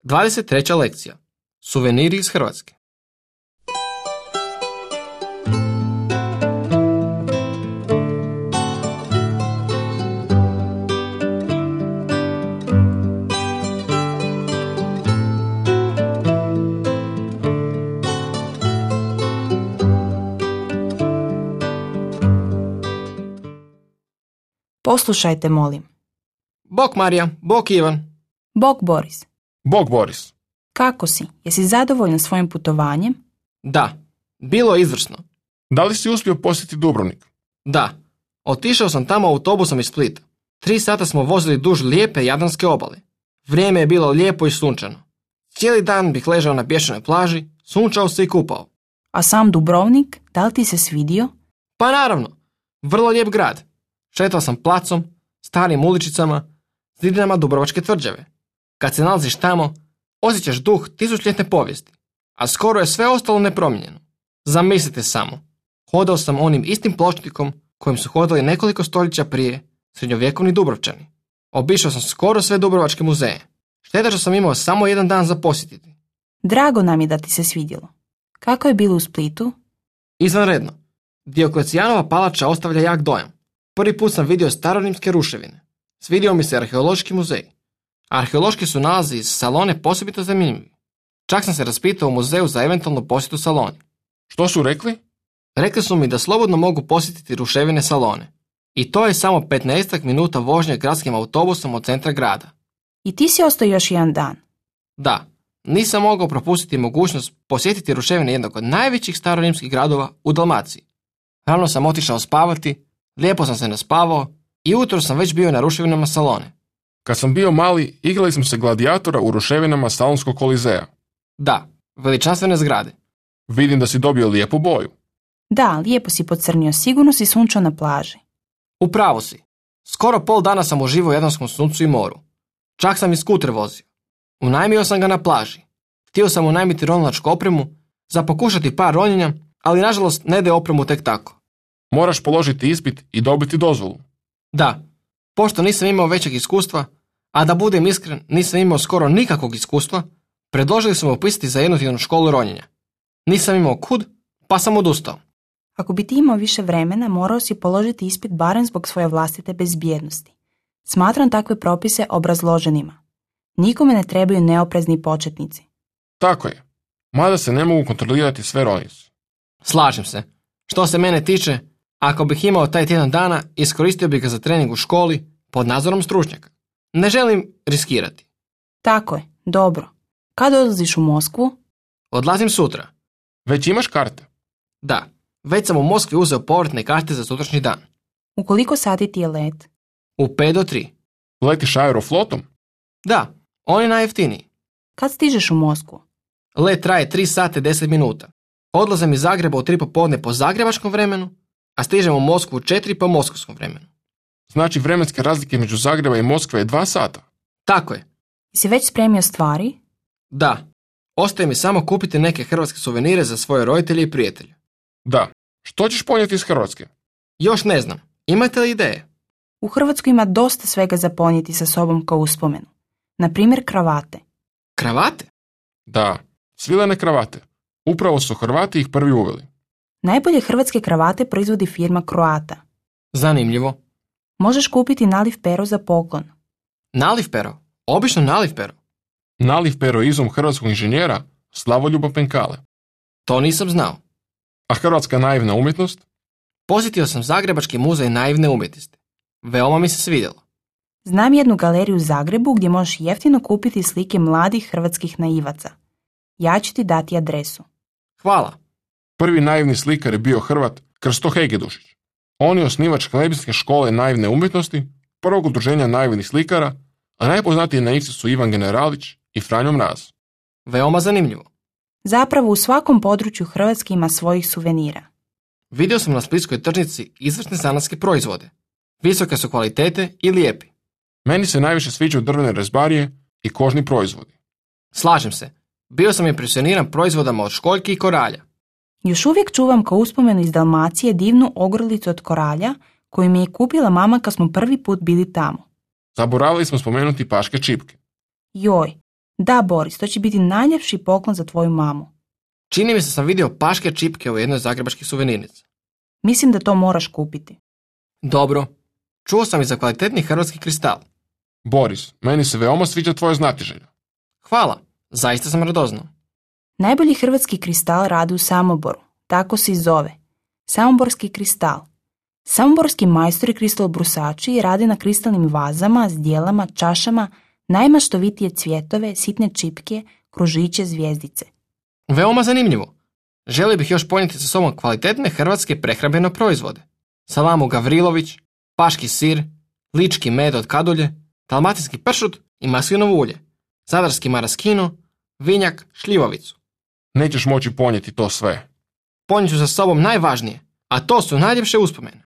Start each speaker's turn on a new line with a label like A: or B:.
A: 23. lekcija. Suveniri iz Hrvatske.
B: Poslušajte, molim.
A: Bok Marija, bok Ivan.
B: Bok Boris.
C: Bog Boris.
B: Kako si? Jesi zadovoljan svojim putovanjem?
A: Da, bilo je izvrsno.
C: Da li si uspio posjetiti Dubrovnik?
A: Da, otišao sam tamo autobusom iz Splita. 3 sata smo vozili duž lijepe Jadranske obale. Vrijeme je bilo lijepo i sunčano. Cijeli dan bih ležao na pješčanoj plaži, sunčao se i kupao.
B: A sam Dubrovnik, da li ti se svidio?
A: Pa naravno, vrlo lijep grad. Šetao sam placom, starim uličicama, zidinama Dubrovačke tvrđave. Kad se nalaziš tamo, osjećaš duh tisućljetne povijesti, a skoro je sve ostalo nepromijenjeno. Zamislite samo, hodao sam onim istim pločnikom kojim su hodali nekoliko stoljeća prije srednjovjekovni Dubrovčani. Obišao sam skoro sve Dubrovačke muzeje. Šteta što sam imao samo jedan dan za posjetiti.
B: Drago nam je da ti se svidjelo. Kako je bilo u Splitu?
A: Izvanredno. Dioklecijanova palača ostavlja jak dojam. Prvi put sam vidio starorimske ruševine. Svidio mi se arheološki muzej. Arheološki su nalazi iz Salone posebito zanimljivi. Čak sam se raspitao u muzeju za eventualnu posjetu Saloni.
C: Što su rekli?
A: Rekli su mi da slobodno mogu posjetiti ruševine Salone. I to je samo 15 minuta vožnje gradskim autobusom od centra grada.
B: I ti si ostao još jedan dan.
A: Da, nisam mogao propustiti mogućnost posjetiti ruševine jednog od najvećih starorimskih gradova u Dalmaciji. Rano sam otišao spavati, lijepo sam se naspavao i ujutro sam već bio na ruševinama Salone.
C: Kad sam bio mali, igrali smo se gladijatora u ruševinama Salonskog kolizeja.
A: Da, veličanstvene zgrade.
C: Vidim da si dobio lijepu boju.
B: Da, lijepo si pocrnio, sigurno si sunčao na plaži.
A: Upravo si. Skoro pol dana sam uživao u jadranskom suncu i moru. Čak sam i skuter vozio. Unajmio sam ga na plaži. Htio sam unajmiti ronilačku opremu za pokušati par ronjenja, ali nažalost ne daje opremu tek tako.
C: Moraš položiti ispit i dobiti dozvolu.
A: Da, pošto nisam imao većeg iskustva, a da budem iskren, nisam imao skoro nikakvog iskustva, predložili su me upisati za jednotjednu školu ronjenja. Nisam imao kud, pa sam odustao.
B: Ako bi ti imao više vremena, morao si položiti ispit barem zbog svoje vlastite bezbjednosti. Smatram takve propise obrazloženima. Nikome ne trebaju neoprezni početnici.
C: Tako je. Mada se ne mogu kontrolirati sve ronice.
A: Slažem se. Što se mene tiče, ako bih imao taj tjedan dana, iskoristio bih ga za trening u školi pod nadzorom stručnjaka. Ne želim riskirati.
B: Tako je, dobro. Kad odlaziš u Moskvu?
A: Odlazim sutra.
C: Već imaš karte?
A: Da, već sam u Moskvi uzeo povratne karte za sutrašnji dan.
B: U koliko sati ti je let?
A: U 5 do 3.
C: Letiš aeroflotom?
A: Da, on je najjeftiniji.
B: Kad stižeš u Moskvu?
A: Let traje 3 sata 10 minuta. Odlazim iz Zagreba u 3 popodne po zagrebačkom vremenu, a stižem u Moskvu u 4 po moskovskom vremenu.
C: Znači vremenske razlike među Zagreba i Moskve je 2 sata?
A: Tako je.
B: Si već spremio stvari?
A: Da. Ostaje mi samo kupiti neke hrvatske suvenire za svoje roditelje i prijatelje.
C: Da. Što ćeš ponijeti iz Hrvatske?
A: Još ne znam. Imate li ideje?
B: U Hrvatskoj ima dosta svega za ponijeti sa sobom kao uspomenu. Na primjer kravate.
A: Kravate?
C: Da, svilene kravate. Upravo su Hrvati ih prvi uveli.
B: Najbolje hrvatske kravate proizvodi firma Croata.
A: Zanimljivo.
B: Možeš kupiti naliv pero za poklon.
A: Naliv pero? Obično naliv pero.
C: Naliv pero je izum hrvatskog inženjera Slavoljuba Penkale.
A: To nisam znao.
C: A hrvatska naivna umjetnost?
A: Posjetio sam Zagrebački muzej naivne umjetnosti. Veoma mi se svidjelo.
B: Znam jednu galeriju u Zagrebu gdje možeš jeftino kupiti slike mladih hrvatskih naivaca. Ja ću ti dati adresu.
A: Hvala.
C: Prvi naivni slikar je bio Hrvat Krsto Hegedušić. On je osnivač Klebinske škole naivne umjetnosti, prvog udruženja naivnih slikara, a najpoznatiji naivci su Ivan Generalić i Franjo Mraz.
A: Veoma zanimljivo.
B: Zapravo u svakom području Hrvatske ima svojih suvenira.
A: Vidio sam na splitskoj tržnici izvrsne zanatske proizvode. Visoke su kvalitete i lijepi.
C: Meni se najviše sviđaju drvene rezbarije i kožni proizvodi.
A: Slažem se. Bio sam impresioniran proizvodama od školjki i koralja.
B: Još uvijek čuvam kao uspomenu iz Dalmacije divnu ogrlicu od koralja koju mi je kupila mama kad smo prvi put bili tamo.
C: Zaboravili smo spomenuti paške čipke.
B: Joj, Da, Boris, to će biti najljepši poklon za tvoju mamu.
A: Čini mi se sam vidio paške čipke u jednoj zagrebačkih suvenirnica.
B: Mislim da to moraš kupiti.
A: Dobro. Čuo sam i za kvalitetni hrvatski kristal.
C: Boris, meni se veoma sviđa tvoja znatiželja.
A: Hvala, zaista sam radoznao.
B: Najbolji hrvatski kristal radi u Samoboru. Tako se i zove. Samoborski kristal. Samoborski majstori kristal brusači radi na kristalnim vazama, zdjelama, čašama, najmaštovitije cvjetove, sitne čipke, kružiće, zvjezdice.
A: Veoma zanimljivo. Želio bih još ponijeti sa sobom kvalitetne hrvatske prehrambene proizvode. Salamu Gavrilović, paški sir, lički med od kadulje, dalmatinski pršut i maslinovo ulje, zadarski maraskino, vinjak, šljivovicu.
C: Nećeš moći ponijeti to sve.
A: Ponijet ću sa sobom najvažnije, a to su najljepše uspomene.